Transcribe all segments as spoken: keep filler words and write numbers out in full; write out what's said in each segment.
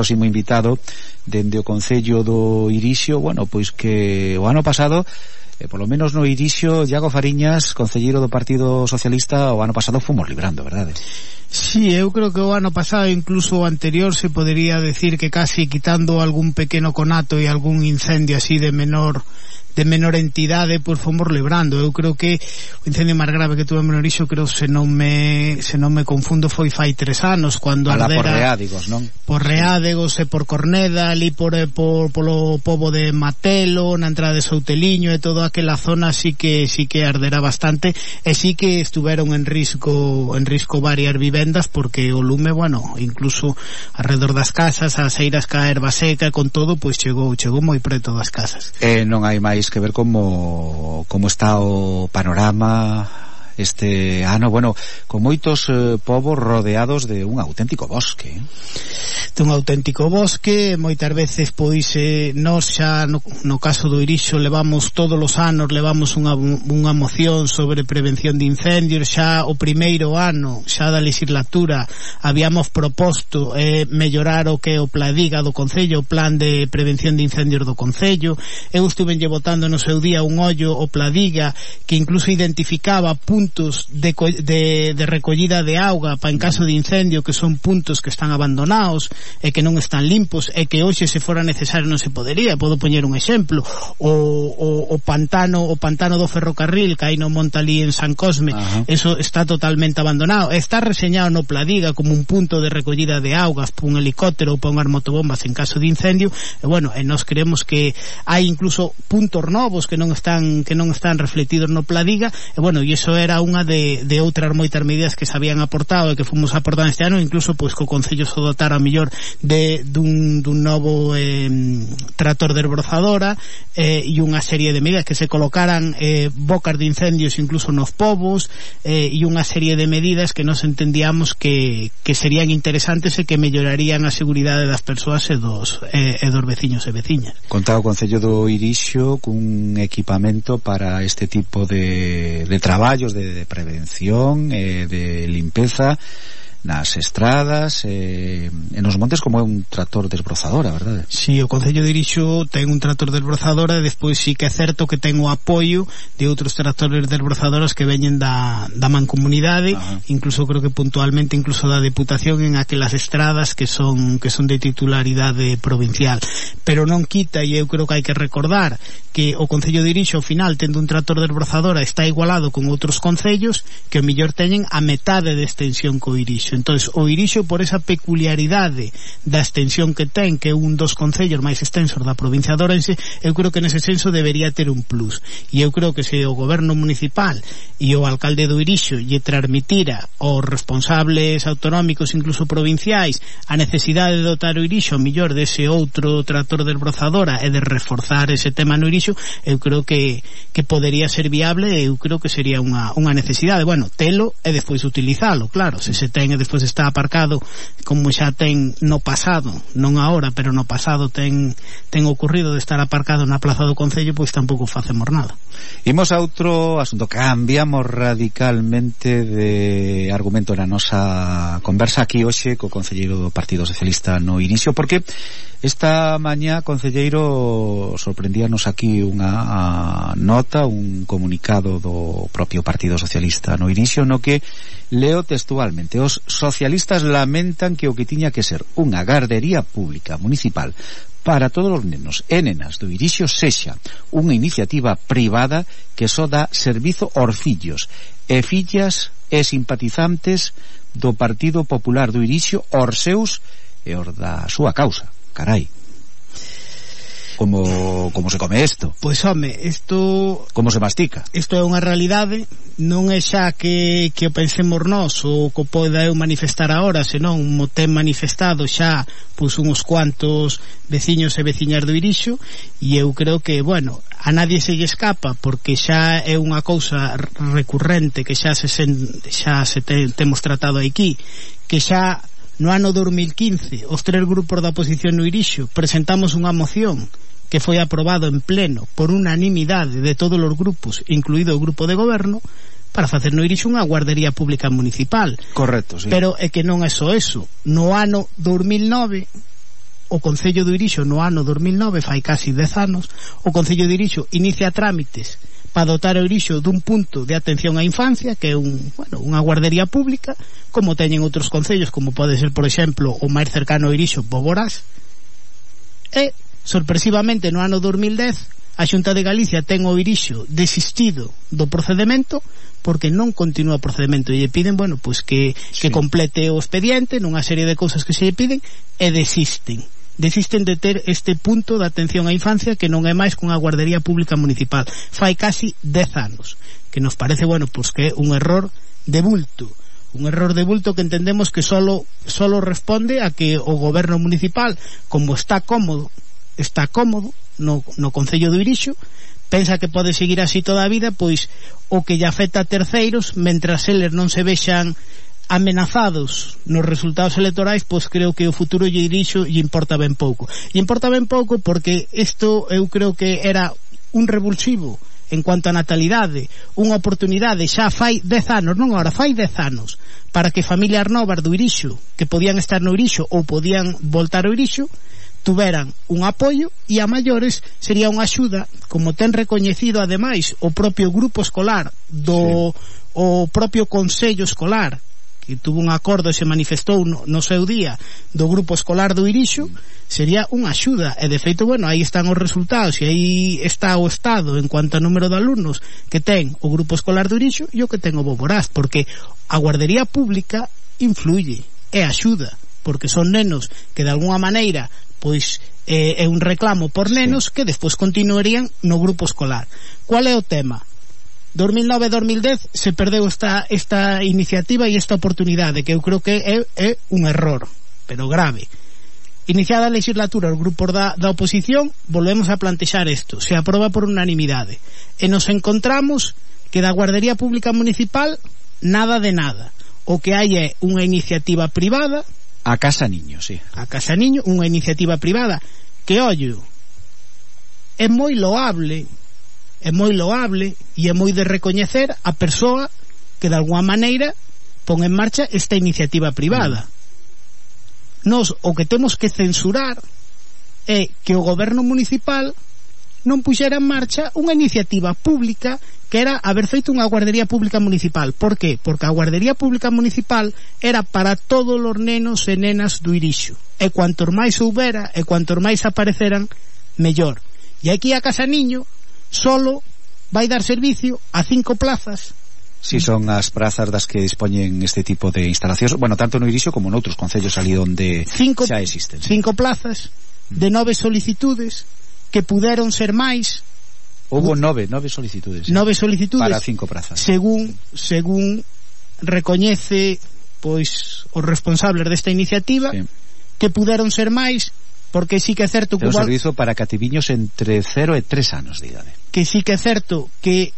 próximo invitado dende o Concello do Irixio, bueno, pois que o ano pasado, eh, polo menos no Irixio, Iago Fariñas, concelleiro do Partido Socialista, o ano pasado fomos librando, verdade? Sí, eu creo que o ano pasado, incluso o anterior, se podería decir que casi quitando algún pequeno conato e algún incendio así de menor de menor entidade, pois fomos librando. Eu creo que o incendio máis grave que tuve en Irixio, creo, se non me se non me confundo, foi fai tres anos, cando ardera por Reádegos, non? Por Reádegos e por Corneda, ali por, por polo pobo de Matelo, na entrada de Souteliño e toda aquela zona, sí que sí que ardera bastante, e sí que estuveron en risco en risco varias vivendas, porque o lume, bueno, incluso alrededor das casas, as eiras ca erva seca, con todo, pois chegou chegou moi preto das casas. Eh, non hai máis que ver como como está o panorama este ano, bueno, con moitos eh, povos rodeados de un auténtico bosque, eh? De un auténtico bosque, moitas veces pois eh, nós xa no, no caso do Irixio levamos todos os anos levamos unha, unha moción sobre prevención de incendios. Xa o primeiro ano xa da legislatura habíamos proposto eh, mellorar o que é o Pladiga do Concello, o plan de prevención de incendios do Concello. Eu estuve lle botando no seu día un ollo o Pladiga, que incluso identificaba puntos de, de, de recollida de auga para en caso de incendio, que son puntos que están abandonados e que non están limpos, e que hoxe se fora necesario non se podería. Podo poñer un exemplo: o, o, o pantano o pantano do ferrocarril que hai no monte ali en San Cosme. Ajá. Eso está totalmente abandonado, está reseñado no Pladiga como un punto de recollida de augas para un helicóptero ou para unhas motobombas en caso de incendio. E bueno, e nós creemos que hai incluso puntos novos que non están que non están refletidos no Pladiga, e bueno, e iso era unha de, de outras moitas medidas que se habían aportado e que fomos aportando este ano, incluso pois co Concello se dotara a mellor de dun, dun novo eh, tractor de esbrozadora eh, e unha serie de medidas que se colocaran eh, bocas de incendios incluso nos povos eh, e unha serie de medidas que nos entendíamos que, que serían interesantes e que mellorarían a seguridade das persoas e dos, eh, e dos veciños e veciñas. Contaba o Concello do Irixio cun equipamento para este tipo de, de traballos de de prevención, eh, de limpeza nas estradas, eh, en os montes, como é un tractor de esbrozadora, verdade? Si, sí, o Concello de Irixo ten un tractor de esbrozadora, e despois sí que é certo que ten o apoio de outros tractores de esbrozadoras que veñen da, da mancomunidade. Ajá. Incluso creo que puntualmente incluso da Deputación en aquelas estradas que son que son de titularidade provincial. Pero non quita, e eu creo que hai que recordar que o Concello de Irixo ao final, tendo un tractor de esbrozadora, está igualado con outros concellos que o mellor teñen a metade de extensión co Irixo. Entonces, o Irixo, por esa peculiaridade da extensión que ten, que é un dos concellos máis extensos da provincia de Ourense, eu creo que nese senso debería ter un plus. E eu creo que se o goberno municipal e o alcalde do Irixo lle transmitira aos responsables autonómicos, incluso provinciais, a necesidade de dotar o Irixo mellor dese outro tractor de esbrozadora e de reforzar ese tema no Irixo, eu creo que, que podería ser viable, e eu creo que sería unha, unha necesidade. Bueno, telo e despois utilizalo, claro, se se ten e despois está aparcado, como xa ten no pasado, non agora, pero no pasado ten ten ocurrido de estar aparcado na plaza do Concello, pois tampouco facemos nada. Imos a outro asunto, cambiamos radicalmente de argumento na nosa conversa aquí hoxe co concelleiro do Partido Socialista no Irixio, porque esta mañá, concelleiro, sorprendíanos aquí unha nota, un comunicado do propio Partido Socialista no Irixio, no que leo textualmente: os socialistas lamentan que o que tiña que ser unha gardería pública municipal para todos os nenos e nenas do Irixio sexa unha iniciativa privada que só dá servizo aos fillos e fillas e simpatizantes do Partido Popular do Irixio, aos seus e aos da súa causa. Carai, como como se come isto? Pois home, isto como se mastica? Isto é unha realidade, non é xa que, que o pensemos nós ou que poida eu manifestar agora, senón mo ten manifestado xa pois uns cuantos veciños e veciñas do Irixio, e eu creo que, bueno, a nadie se lle escapa, porque xa é unha cousa recurrente que xa se sen, xa se te, temos tratado aquí, que xa no ano dos mil quince os tres grupos da oposición no Irixio presentamos unha moción que foi aprobado en pleno por unanimidade de todos os grupos, incluído o grupo de goberno, para facer no Irixio unha guardería pública municipal. Correcto, sí. Pero é que non é só eso. No ano dos mil nove o Concello do Irixo no ano dos mil nove, fai casi dez anos, o Concello do Irixo inicia trámites para dotar o Irixo dun punto de atención á infancia, que é un, bueno, unha guardería pública, como teñen outros concellos, como pode ser, por exemplo, o máis cercano ao Irixo, Boborás. E, sorpresivamente, no ano dos mil dez, a Xunta de Galicia ten o Irixo desistido do procedemento porque non continúa o procedemento e lle piden, bueno, pois que, sí. que complete o expediente nunha serie de cousas que se lle piden e desisten desisten de ter este punto de atención á infancia que non é máis que unha guardería pública municipal. Fai casi dez anos, que nos parece, bueno, pois que é un error de bulto un error de bulto que entendemos que solo, solo responde a que o goberno municipal, como está cómodo está cómodo no, no Concello do Irixo, pensa que pode seguir así toda a vida, pois o que lle afecta a terceiros, mentras eles non se vexan amenazados nos resultados electorais, pois creo que o futuro lle Irixo lle importa ben pouco. E importa ben pouco porque isto eu creo que era un revulsivo en cuanto a natalidade, unha oportunidade xa fai dez anos, non agora, fai dez anos, para que familias novas do Irixo, que podían estar no Irixo ou podían voltar ao Irixo, tuveran un apoio, e a maiores sería unha axuda, como ten recoñecido ademais o propio grupo escolar do sí. o propio Consello Escolar, que tuvo un acordo e se manifestou no, no seu día do grupo escolar do Irixo, sería unha axuda, e de feito, bueno, aí están os resultados e aí está o estado en cuanto ao número de alumnos que ten o grupo escolar do Irixo e o que ten o Boborás, porque a guardería pública influye e axuda, porque son nenos que de alguna maneira pois eh, é un reclamo por nenos sí. que despois continuarían no grupo escolar. Cual é o tema? dos mil nove a dos mil dez se perdeu esta, esta iniciativa e esta oportunidade, que eu creo que é, é un error, pero grave. Iniciada a legislatura, os grupos da, da oposición volvemos a plantexar isto, se aproba por unanimidade e nos encontramos que da guardería pública municipal nada de nada. O que hai é unha iniciativa privada, a Casa Niño, sí. A Casa Niño, unha iniciativa privada que, ollo, é moi loable, é moi loable e é moi de recoñecer a persoa que de alguma maneira pon en marcha esta iniciativa privada. Mm. Nos o que temos que censurar é que o goberno municipal non puxera en marcha unha iniciativa pública que era haber feito unha guardería pública municipal. Por qué? Porque a guardería pública municipal era para todos os nenos e nenas do Irixo, e cuantos máis houbera e cuantos máis apareceran, mellor. E aquí a Casa Niño solo vai dar servicio a cinco plazas. Si sí, son as prazas das que dispoñen este tipo de instalacións, bueno, tanto no Irixo como noutros concellos ali onde cinco, xa existen. Cinco plazas de nove solicitudes que puderon ser máis. Houbo nove, nove solicitudes. ¿eh? Nove solicitudes para cinco prazas. Según según recoñece pois os responsables desta iniciativa, sí. que puderon ser máis, porque sí que é certo que é un servizo para cativiños entre cero e tres anos de idade. Que sí que é certo que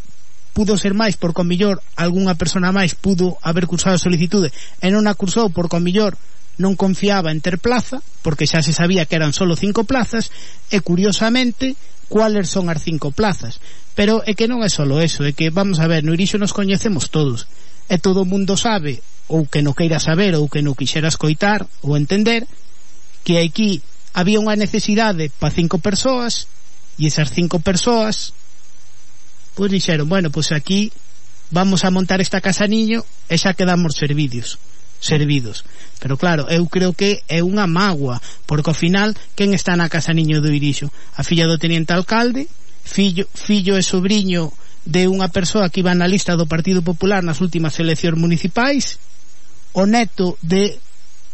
pudo ser máis porque ao millor algunha persona máis pudo haber cursado a solicitude e non a cursou porque ao millor non confiaba en ter plaza, porque xa se sabía que eran solo cinco plazas, e curiosamente cuáles son as cinco plazas. Pero é que non é solo eso, é que, vamos a ver, no Irixo nos coñecemos todos, e todo o mundo sabe, ou que non queira saber, ou que non quixera escoitar ou entender, que aquí había unha necesidade para cinco persoas, e esas cinco persoas pois dixeron, bueno, pois aquí vamos a montar esta Casa Niño e xa quedamos servidos servidos. Pero claro, eu creo que é unha mágoa, porque ao final quen está na Casa Niño do Irixo? A filla do teniente alcalde, fillo, fillo e sobriño de unha persoa que iba na lista do Partido Popular nas últimas eleccións municipais, o neto de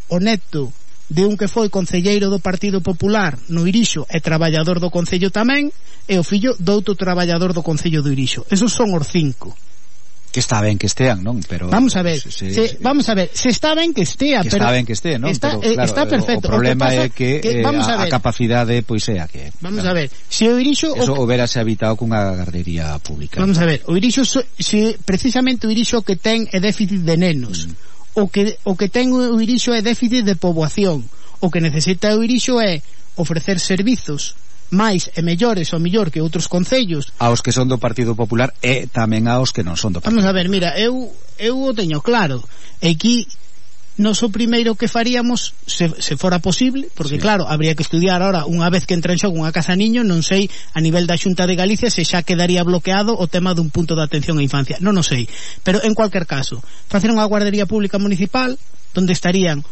o neto de un que foi concelleiro do Partido Popular no Irixo e traballador do Concello tamén, e o fillo do outro traballador do Concello do Irixo. Esos son os cinco. Que está ben que estean, non? Pero vamos a ver, se, se, se, vamos a ver, se está ben que estea, que pero está ben que estea, non? Está, pero, claro, está perfecto. O problema o é que que, que eh, vamos a, a, ver. a capacidade pois é a que. Vamos claro. a ver, se o Irixo eso o, houbera se habitado cunha guardería pública. Vamos a ver, o Irixo se precisamente o Irixo que ten é déficit de nenos. Mm. O que o que ten o Irixo é déficit de poboación. O que necesita o Irixo é ofrecer servizos máis e mellores ou mellor que outros concellos aos que son do Partido Popular e tamén aos que non son do Partido. Vamos a ver, mira, eu eu o teño claro. Aquí nos o primeiro que faríamos, se, se fora posible, porque sí, claro, habría que estudiar ahora, unha vez que entra en xogo unha casa niño, non sei a nivel da Xunta de Galicia se xa quedaría bloqueado o tema dun punto de atención á infancia, non o sei, pero en cualquier caso, facer unha guardería pública municipal donde estarían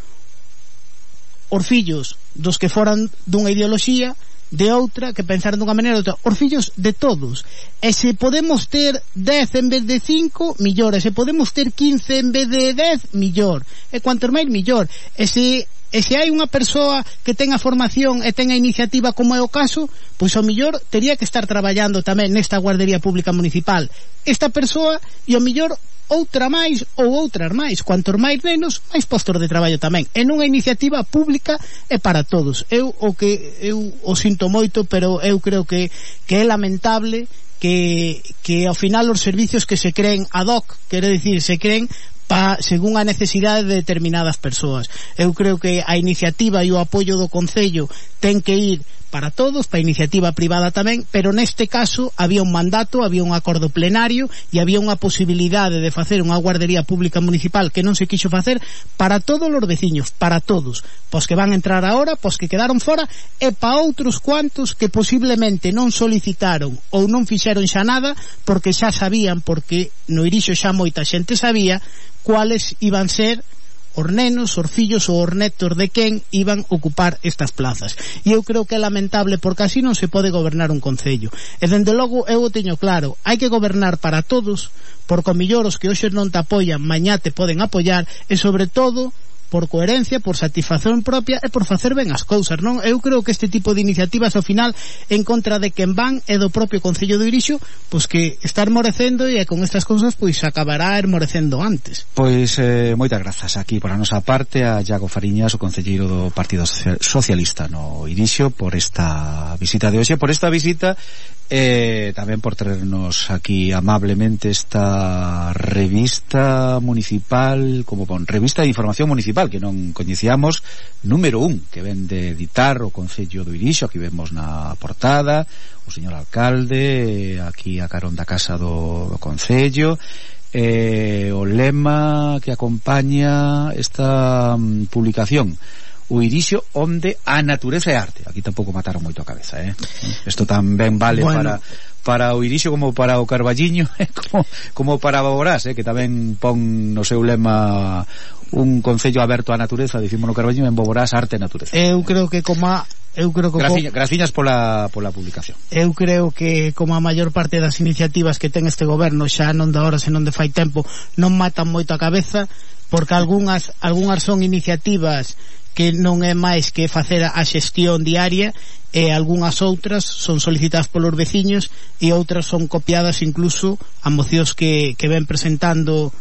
os fillos dos que foran dunha ideoloxía, de outra, que pensaran dunha maneira outra, os fillos de todos, e se podemos ter dez en vez de cinco, millor, e se podemos ter quince en vez de dez, millor, e cuantos máis millor, e se e se hai unha persoa que tenga formación e tenga iniciativa como é o caso, pois ao millor tería que estar traballando tamén nesta guardería pública municipal esta persoa, e ao millor outra máis ou outras máis, cuantos máis nenos, máis postos de traballo tamén, en unha iniciativa pública e para todos. Eu o que eu o sinto moito, pero eu creo que que é lamentable que que ao final os servicios que se creen ad hoc, quere dicir, se creen pa, según a necesidade de determinadas persoas. Eu creo que a iniciativa e o apoio do Concello ten que ir para todos, para a iniciativa privada tamén, pero neste caso había un mandato, había un acordo plenario e había unha posibilidade de facer unha guardería pública municipal que non se quixo facer para todos os veciños, para todos, pos que van a entrar agora, pos que quedaron fora, e para outros cuantos que posiblemente non solicitaron ou non fixeron xa nada porque xa sabían, porque no Irixo xa moita xente sabía cuáles iban ser os nenos, os fillos ou os netos de quen iban ocupar estas plazas. E eu creo que é lamentable porque así non se pode gobernar un concello. E dende logo eu o teño claro, hai que gobernar para todos, porque o millor os que hoxe non te apoian, mañá te poden apoiar, e sobre todo por coherencia, por satisfacción propia e por facer ben as cousas, non? Eu creo que este tipo de iniciativas ao final en contra de quen van e do propio Concello do Irixo, pois que está esmorecendo e con estas cousas pois acabará esmorecendo antes. Pois eh, moitas grazas aquí por a nosa parte a Iago Fariñas, o concelleiro do Partido Socialista no Irixo, por esta visita de hoxe, por esta visita e eh, tamén por traernos aquí amablemente esta revista municipal, como con revista de información municipal que non coñecíamos, número un, que ven de editar o Concello do Irixo. Aquí vemos na portada o señor alcalde, aquí a carón da casa do, do Concello, eh, o lema que acompaña esta um, publicación: o Irixo onde a natureza é arte. Aquí tampouco mataron moito a cabeza, eh? Isto tamén vale bueno. para para o Irixo como para o Carballiño, eh? como, como para Boborás, eh? Que tamén pon no seu lema un concello aberto á natureza, dicimos no Carballiño, en Boborás arte e natureza. Eu creo que como a Eu creo que Graciña, graciñas pola, pola publicación. Eu creo que como a maior parte das iniciativas que ten este goberno, xa non de ahora senón de fai tempo, non matan moito a cabeza, porque algunhas algunhas son iniciativas que non é máis que facer a xestión diaria, e algunhas outras son solicitadas polos veciños e outras son copiadas incluso a mocións que, que ven presentando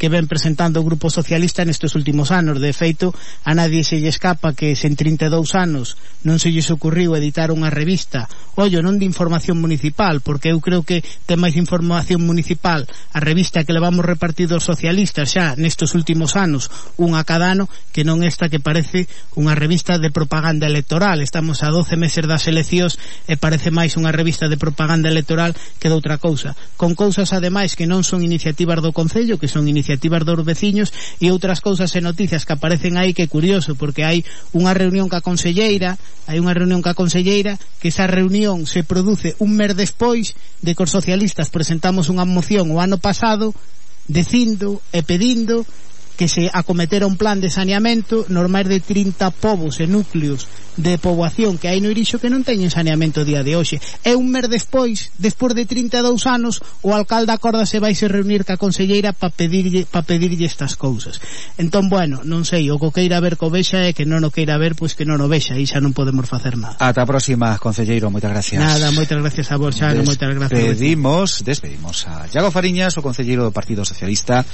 que ven presentando o Grupo Socialista nestes últimos anos. De feito, a nadie se lle escapa que se en trinta e dous anos non se lles ocurriu editar unha revista, ollo, non de información municipal, porque eu creo que ten máis información municipal a revista que levamos repartido os socialistas xa nestes últimos anos, unha cada ano, que non esta que parece unha revista de propaganda electoral. Estamos a doce meses das eleccións e parece máis unha revista de propaganda electoral que de outra cousa, con cousas ademais que non son iniciativas do Concello, que son iniciativas iniciativas dos veciños, e outras cousas e noticias que aparecen aí, que é curioso, porque hai unha reunión ca conselleira, hai unha reunión ca conselleira, que esa reunión se produce un mes despois de que os socialistas presentamos unha moción o ano pasado dicindo e pedindo que se acometera un plan de saneamento nos máis de trinta povos e núcleos de poboación que hai no Irixo que non teñen saneamento día de hoxe. E un mes despois, despois de trinta e dous anos, o alcalde acorda se vai se reunir ca conselleira para pedirlle, pa pedirlle estas cousas. Entón, bueno, non sei, o que queira ver co vexa e que non o queira ver, pois que non o vexa, e xa non podemos facer nada. Ata a próxima, concelleiro, moitas gracias. Nada, moitas gracias a vos, Xano, moitas gracias. Despedimos, despedimos a Iago Fariñas, o concelleiro do Partido Socialista.